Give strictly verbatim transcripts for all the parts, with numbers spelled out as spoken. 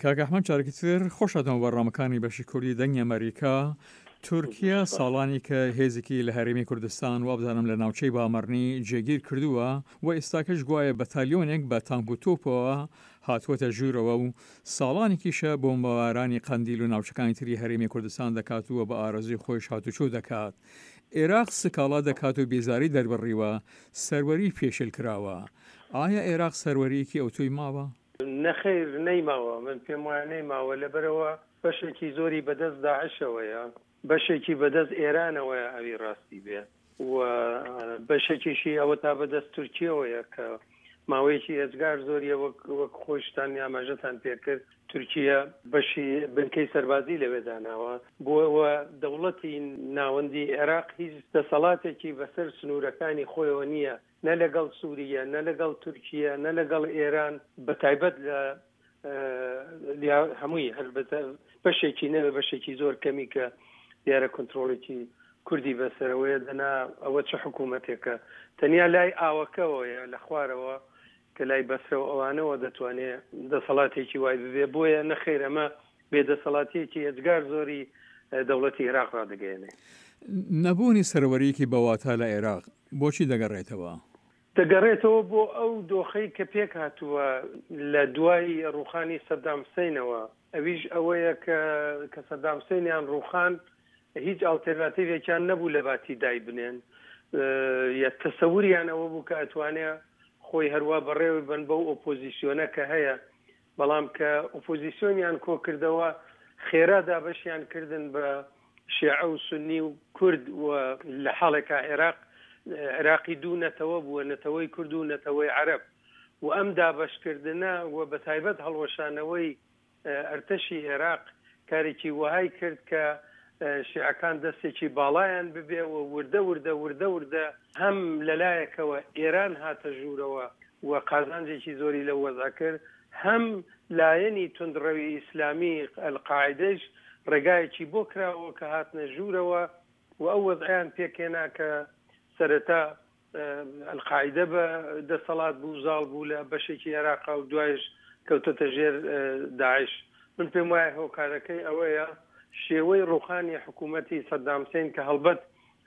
کاک ئەحمەد جارێکی تر خۆش هاتنەوە بەرنامەکانی بەشی کوردی دەنگی ئەمەریکا. تورکیا ساڵانێکە هێزێکی لە هەرێمی کوردستان وابزانم لە ناوچەی بامەرنی جێگیر کردووە و ئێستاکەش گوایە بەتالیۆنێک بە تانک و تۆپەوە هاتووەتە ژوورەوە و ساڵانێکیشە بۆمبارانی قەندیل و ناوچەکانی تری هەرێمی کوردستان دەکات و بە ئارەزووی خۆیش هاتوچۆ دەکات. عێراق سکاڵا دەکات و بێزاری دەربڕیوە سەروەری پێشێل کراوە. ئایا عێراق سەروەرییەکی ئەوتۆی ماوە؟ نەخەیر نەیماوە، من پێم وایە نەیماوە، لەبەرئەوە بەشێکی زۆری بەدەست داعشەوەیە، بەشێکی بەدەست ئێرانەوەیە ئەوی ڕاستی بێ و بەشێکیشی ئەوە تا بەدەست تورکیەوەیە کە ماوەیەکی ئێجگار زۆریە وەک وەک خۆشتان ئاماژەتان پێکرد تورکیە بەشی بنکەی سەربازی لەوێ داناوە بۆ ئەوە دەوڵەتی ناوەندی عێراق هیچ دەسەڵاتێکی بەسەر سنوورەکانی خۆیەوە نییە نە لەگەڵ سووریە نە لەگەڵ تورکیە نە لەگەڵ ئێران بە تایبەت لە هەمووی هەر بەشێکی نەوێ بەشێکی زۆر کەمی کە دیارە کۆنتترۆڵێکی کوردی بەسەرەوەیە دەنا ئەوە چه حکوومەتێکە تەنیا لای ئاوەکەوەیە لە خوارەوە کە لای بەسرە و ئەوانەوە دەتوانێ دەسەڵاتێکی وای ببێ بۆیە نەخیر ئەمە بێدەسەڵاتیەکی ئێجگار زۆری دەوڵەتی عێراق ڕادەگەیەنێ. نەبوونی سەروەرییەکی بەواتا لە عێراق بۆچی دەگەڕێتەوە؟ دەگەڕێتەوە بۆ ئەو دۆخەی کە پێکهاتووە لە دوای ڕووخانی سەدام حسەینەوە، ئەویش ئەوەیە کە کە سەدام حسەینیان ڕووخان هیچ ئاڵتێرناتیڤێکیان نەبوو لە باتی دایبنێن یا تەسەوریان ئەوە بوو کە ئەتوانێ خۆی هەروا بەڕێوەی بەن بەو ئۆپۆزیسیۆنە کە هەیە، بەڵام کە ئۆپۆزیسیۆنیان کۆکردەوە خێرا دابەشیان کردن بە شێعە و سوننی و کورد و لە حاڵێکا عێراق عێراقی دوو نەتەوە بووە، نەتەوەی کورد و نەتەوەی عەرەب و ئەم دابەشکردنە و بەتایبەت هەڵوەشانەوەی ئەرتەشی ئێراق کارێکی وەهای کرد کە شیعەکان دەستێکی باڵایان ببێ و وردە وردە وردە وردە هەم لە لایەکەوە ئێران هاتە ژوورەوە و قازانجێکی زۆری لەو وەزعە کرد هەم لایەنی توندڕەوی ئیسلامی ئەلقاعیدەیش ڕێگایەکی بۆ کراوە کە هاتنە ژوورەوە و ئەو وەزعەیان پێکهێنا کە سەرەتا ئەلقاعیدە بە دەسەڵات بوو زاڵ بوو لە بەشێکی عێراقا و دوایش کەوتەتە ژێر داعش. من پێم وایە هۆکارەکەی ئەوەیە شێوەی ڕووخانی حکوومەتی سەدام حسین کە هەڵبەت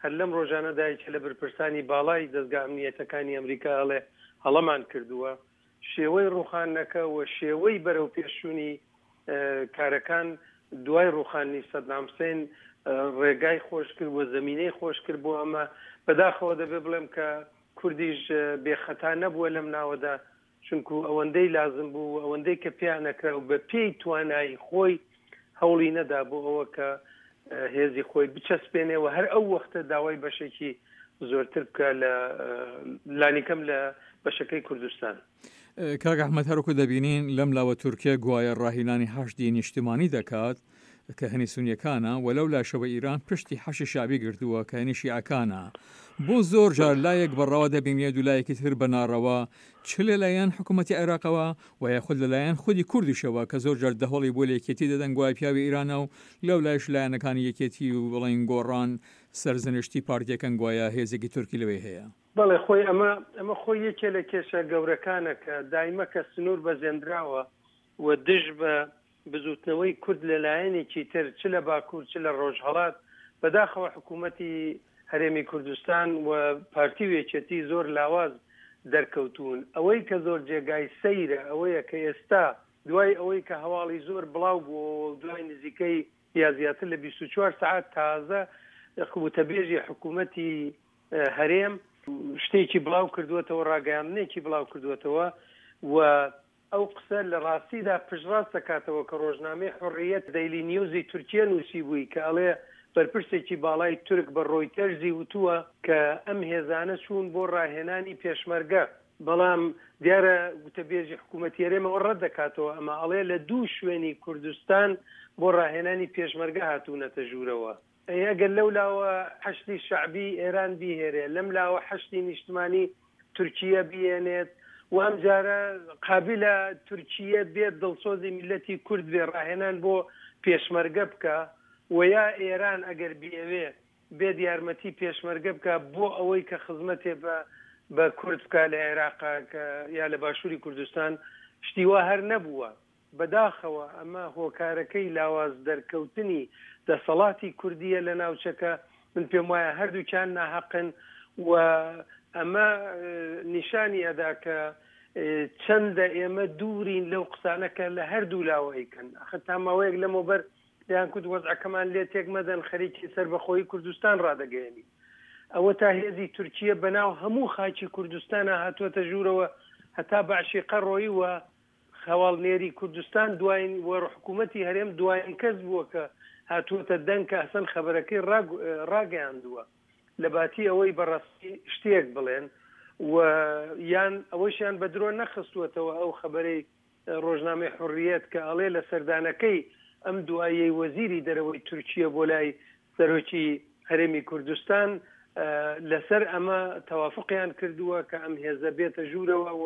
هەر لەم ڕۆژانەدا یەکێ لە بەرپرسانی باڵای دەزگا ئەمنییەتەکانی ئەمریکا ئەڵێ هەڵەمان کردووە، شێوەی ڕووخاندنەکە و شێوەی بەرەوپێشچوونی کارەکان دوای ڕووخاندنی سەدام حسین ڕێگای خۆش کرد و زەمینەی خۆش کرد بۆ ئەمە. بەداخەوە دەبێ بڵێم کە کوردیش بێ خەتا نەبووە لەم ناوەدا، چونکو ئەوەندەی لازم بوو و ئەوەندەی کە پێیان ئەکرا و بە پێی توانایی خۆی هەوڵی نەدا بۆ ئەوە کە هێزی خۆی بچەسپێنێ و هەر ئەو وەختە داوای بەشێکی زۆرتر بکا لە لانیکەم لە بەشەکەی کوردستان. کاک ئەحمەد هەروەکو دەبینین لەم لاوە تورکیە گوایە ڕاهینانی حەشدی نیشتمانی دەکات کە هەنی سونیەکانە و لەو لاشەوە ئیران پشتی حەشی شەعبی گرتووە کە هەنی شیعەکانە بۆ زۆر جار لایەک بە ڕەوا دەبینرێت و لایەکی تر بە ناڕەوا چ لە لایەن حکوومەتی عێراقەوە و یاخود لە لایەن خودی کوردیشەوە کە زۆر جار دەهۆڵی بۆ لە یەکێتی دەدەن گوایە پیاوی ئیرانە و لەو لایش لایەنەکانی یەکێتی و بڵێین گۆڕان سەرزنشتی پارتیەکەن گوایە هێزێکی تورکی لەوێ هەیە. بەڵێ خۆی ئەمە ئەمە خۆی یەکێ لە کێشە گەورەکانە کە دایمە کە سنوور بەزێندراوە و دژ بە بزووتنەوەی کورد لە لایەنێکی تر چ لە باکوور چ لە ڕۆژهەڵات، بەداخەوە حکوومەتی هەرێمی کوردستان و پارتی و یەکێتی زۆر لاواز دەرکەوتوون. ئەوەی کە زۆر جێگای سەیرە ئەوەیە کە ئێستا دوای ئەوەی کە هەواڵی زۆر بڵاو بووەوە و دوای نزیکەی یا زیاتر لە بیست و چوار سەعات تازە وتەبێژی حکوومەتی هەرێم شتێکی بڵاو کردووەتەوە، ڕاگەیاندنێکی بڵاو کردووەتەوە و ئەو قسە لە ڕاستیدا پشتڕاست دەکاتەوە کە ڕۆژنامەی حوڕیەت دەیلی نیوزی تورکیە نووسیبووی کە ئەڵێ بەرپرسێکی باڵای تورک بە ڕۆیتەرزی وتووە کە ئەم هێزانە چوون بۆ ڕاهێنانی پێشمەرگە، بەڵام دیارە وتەبێژی حکوومەتی هەرێم ئەوە ڕەت دەکاتەوە، ئەمە ئەڵێ لە دوو شوێنی کوردستان بۆ ڕاهێنانی پێشمەرگە هاتوونەتە ژوورەوە. ئەی ئەگەر لەو لاوە حەشدی شەعبی ئێران بیهێرێ، لەم لاوە حەشدی نیشتمانی تورکیە بیێنێت و ئەمجارە قابیلە تورکیە بێت دڵسۆزی میللەتی کورد بێ ڕاهێنان بۆ پێشمەرگە بکا و یا ئێران ئەگەر بیەوێ بێت یارمەتی پێشمەرگە بکا بۆ ئەوەی کە خزمەتێ بە بە کورد بکا لە عێراقا کە یا لە باشووری کوردستان شتی وا هەر نەبووە. بەداخەوە ئەمە هۆکارەکەی لاواز دەرکەوتنی دەسەڵاتی کوردیە لە ناوچەکە. من پێم وایە هەردووکیان ناحەقن و ئەمە نیشانی ئەدا کە چەندە ئێمە دوورین لەو قسانە کە لە هەردوو لاوە ئەیکەن. ئەخر تا ماوەیەک لەمەوبەر دەیان کوت وەزعەکەمان لێ تێک مەدەن، خەریکی سەربەخۆیی کوردستان ڕادەگەیەنین. ئەوە تا هێزی تورکیە بەناو هەموو خاکی کوردستانە هاتووەتە ژوورەوە هەتا بەعشیقە ڕۆیی و هەواڵنێری کوردستان دوایین و حکوومەتی هەرێم دوایین کەس بووە کە هاتووەتە دەنگ کە ئەسەن خەبەرەکەی ڕاگەیاندووە لە باتی ئەوەی بەڕاستی شتێک بڵێن و یان ئەوەشیان بە درۆ نەخستووەتەوە ئەو خەبەرەی ڕۆژنامەی حوڕیەت کە ئەڵێ لە سەردانەکەی ئەم دوایەی وەزیری دەرەوەی تورکیە بۆ لای سەرۆکی هەرێمی کوردستان لەسەر ئەمە تەوافقیان کردووە کە ئەم هێزە بێتە ژوورەوە و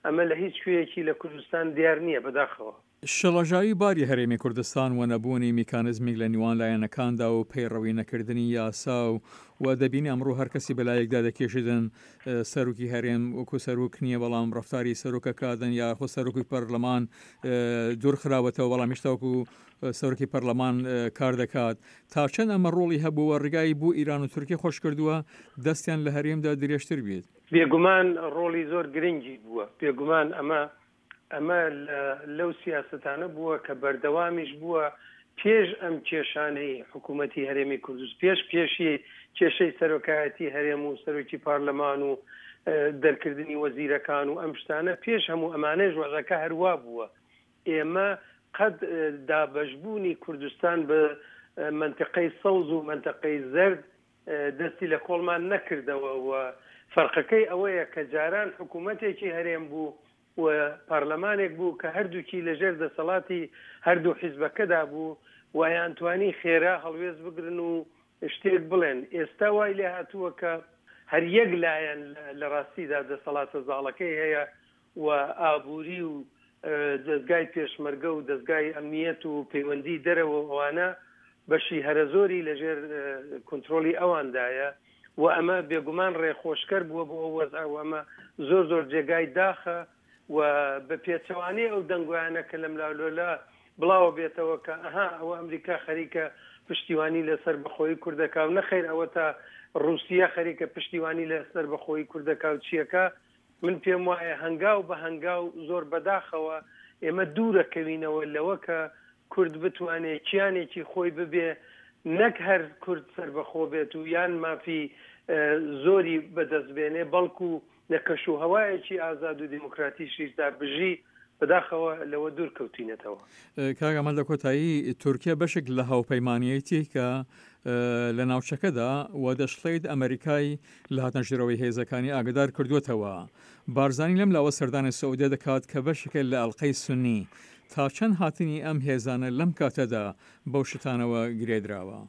ئەمە لە هیچ کوێیەکی لە کوردستان دیار نییە بەداخەوە. شڵەژاوی باری هەرێمی کوردستان و نەبوونی میکانزمیک لە نیوان لایەنەکاندا و پەیڕەوی نەکردنی یاسا و و دەبینی ئەمڕۆ هەر کەسی بەلایەکدا دەکێشیدن، سەرۆکی هەرێم وەکو سەرۆک نییە بەڵام ڕەفتاری سەرۆکەکادن یا خۆ سەرۆکی پەرلەمان دوور خراوەتەوە بەڵام هێشتا وەکو سەرۆکی پەرلەمان کار دەکات. تا چەند ئەمە ڕۆڵی هەبووە ڕێگای بۆ ئیران و تورکیا خۆش کردووە دەستیان لە هەرێمدا درێژتر بێت؟ بێگومان ڕۆڵی زۆر گرنگی بووە. بێگومان ئەمە ئەمە لەو سیاسەتانە بووە کە بەردەوامیش بووە پێش ئەم کێشانەی حکوومەتی هەرێمی کوردستان، پێش پێشی کێشەی سەرۆکایەتی هەرێم و سەرۆکی پەرلەمان و دەرکردنی وەزیرەکان و ئەم شتانە، پێش هەموو ئەمانەش وەزعەکە هەروا بووە. ئێمە قەت دابەشبوونی کوردستان بە منطقەی سەوز و منطقەی زەرد دەستی لە کۆڵمان نەکردەوە و فەرقەکەی ئەوەیە کە جاران حکوومەتێکی هەرێم بوو و پەرلەمانێک بوو کە هەردووکی لەژێر دەسەڵاتی هەردوو حیزبەکەدا بوو و ئەیانتوانی خێرا هەڵوێست بگرن و شتێک بڵێن. ئێستا وای لێ هاتووە کە هەر یەک لایەن لە ڕاستیدا دەسەڵاتە زاڵەکەی هەیە و ئابووری و دەستگای پێشمەرگە و دەستگای ئەمنیەت و پەیوەندی دەرەوە ئەوانە بەشی هەرە زۆری لەژێر کۆنترۆڵی ئەواندایە و ئەمە بێگومان ڕێخۆشکەر بووە بۆ ئەو وەزع و ئەمە زۆر زۆر جێگای داخە و بە پێچەوانەی ئەو دەنگۆیانە کە لەم لاولۆلا بڵاوە بێتەوە کە ئەها ئەوە ئەمریکا خەریکە پشتیوانی لەسەر بەخۆی کوردەکا و نەخەیر ئەوە تا رووسیا خەریکە پشتیوانی لەسەر بەخۆی کوردەکا و چیەکە. من پێم وایە هەنگاو بە هەنگاو زۆر بەداخەوە ئێمە دوورەکەوینەوە لەوە کە کورد بتوانێت کیانێکی خۆی ببێ، نەک هەر کورد سەربەخۆ بێت و یان مافی زۆری بەدەست بێنێ، بەڵکو لە کەش و هەوایەکی ئازاد و دیموکراتیشیشدا بژی. بەداخەوە لەوە دوور کەوتینەتەوە. کاک ئەمەل، لە کۆتایی تورکیا بەشێک لە هاوپەیمانیەتی کە لە ناوچەکەدا و دەشڵێت ئەمریکای لە هاتنەژێرەوەی هێزەکانی ئاگدار کردووەتەوە. بارزانی لەم لاوە سەردانی سعودیە دەکات کە بەشێکە لە ئەڵلقەی سنی. تا چەند هاتنی ئەم هێزانە لەم کاتەدا بەو شتانەوە گرێدراوە؟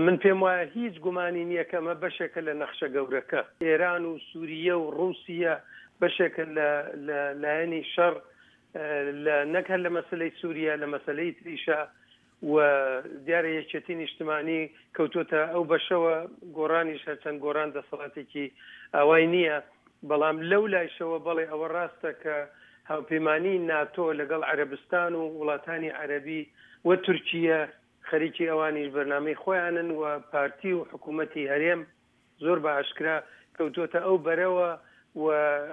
من پێم وایە هیچ گومانی نییە کە ئەمە بەشێکە لە نەخشە گەورەکە. ئێران و سووریە و ڕووسیە بەشێکە لە لایەنی شەڕ لە نەک هەر لە مەسلەی سووریا، لە مەسلەی تریشە و دیارە یەکێتی نیشتمانی کەوتوتە ئەو بەشەوە. گۆڕانیش هەرچەند گۆڕان دەسەڵاتێکی ئاوای نییە، بەڵام لەو لایشەوە بەڵێ ئەوە ڕاستە کە هاوپەیمانی ناتۆ لەگەڵ عەرەبستان و وڵاتانی عەرەبی و تورکیە خەریکی ئەوانیش بەرنامەی خۆیانن و پارتی و حکوومەتی هەرێم زۆر بە ئاشکرا کەوتوتە ئەو بەرەوە و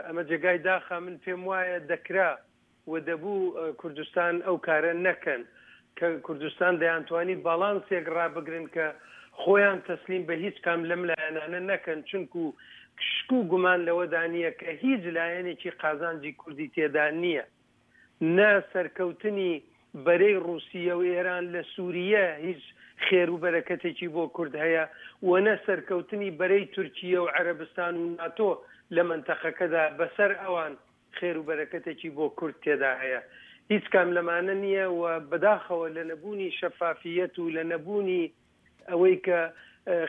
ئەمە جێگای داخە. من پێم وایە دەکرا و دەبوو کوردستان ئەو کارە نەکەن کە کوردستان دەیانتوانی باڵانسێک ڕابگرن کە خۆیان تەسلیم بە هیچ کام لەم لایەنانە نەکەن، چونکو شک و گومان لەوەدا نییە کە هیچ لایەنێکی قازانجی کوردی تێدا نییە. نە سەرکەوتنی بەرەی ڕووسیە و ئێران لە سووریە هیچ خێر و بەرەکەتێکی بۆ کورد هەیە و نە سەرکەوتنی بەرەی تورکیە و عەرەبستان و ناتۆ لە منتەقەکەدا بەسەر ئەوان خێر و بەرەکەتێکی بۆ کورد تێدا هەیە. هیچ کام لەمانە نییە و بەداخەوە لە نەبوونی شەفافیەت و لە نەبوونی ئەوەی کە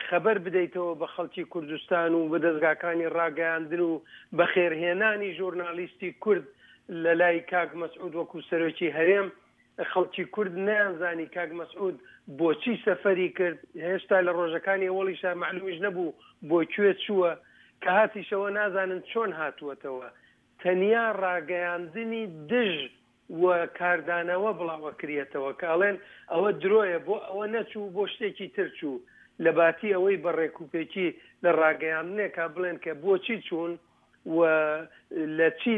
خەبەر بدەیتەوە بە خەڵکی کوردستان و بە دەستگاکانی ڕاگەیاندن و بەخێرهێنانی ژورنالیستی کورد لە لای کاک مەسعود وەکو سەرۆکی هەرێم، خەڵکی کورد نەیانزانی کاک مەسعود بۆچی سەفەری کرد. هێشتا لە ڕۆژەکانی ئەوەڵیشا معلومیش نەبوو بۆ کوێ چووە، کە هاتیشەوە نازانن چۆن هاتووەتەوە. تەنیا ڕاگەیاندنی دژ و کاردانەوە بڵاوەکریەتەوە کە ئەڵێن ئەوە درۆیە بۆ ئەوە نەچوو بۆ شتێکی تر چوو، لە باتی ئەوەی بە ڕێکوپێکی لە ڕاگەیاندنێکا بڵێن کە بۆچی چوون و لە چی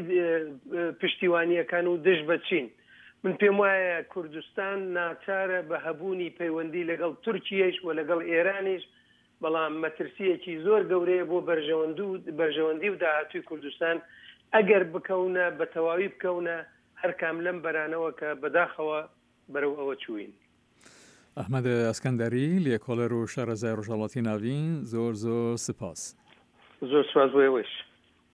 پشتیوانیەکەن و دژ بە چین. من پێم وایە کوردستان ناچارە بە هەبوونی پەیوەندی لەگەڵ تورکیەیش و لەگەڵ ئێرانیش، بەڵام مەترسییەکی زۆر گەورەیە بۆ بەرژەوەندی و داهاتووی کوردستان ئەگەر بکەونە بە تەواوی بکەونە هەر کام لەم بەرانەوە کە بەداخەوە بەرەو ئەوە چووین. ئەحمەد ئەسکەندەری، لێکۆڵەر و شارەزای ڕۆژهەڵاتی ناڤین، زۆر زۆر سپاس. زۆر سپاس بۆ ئێوەیش.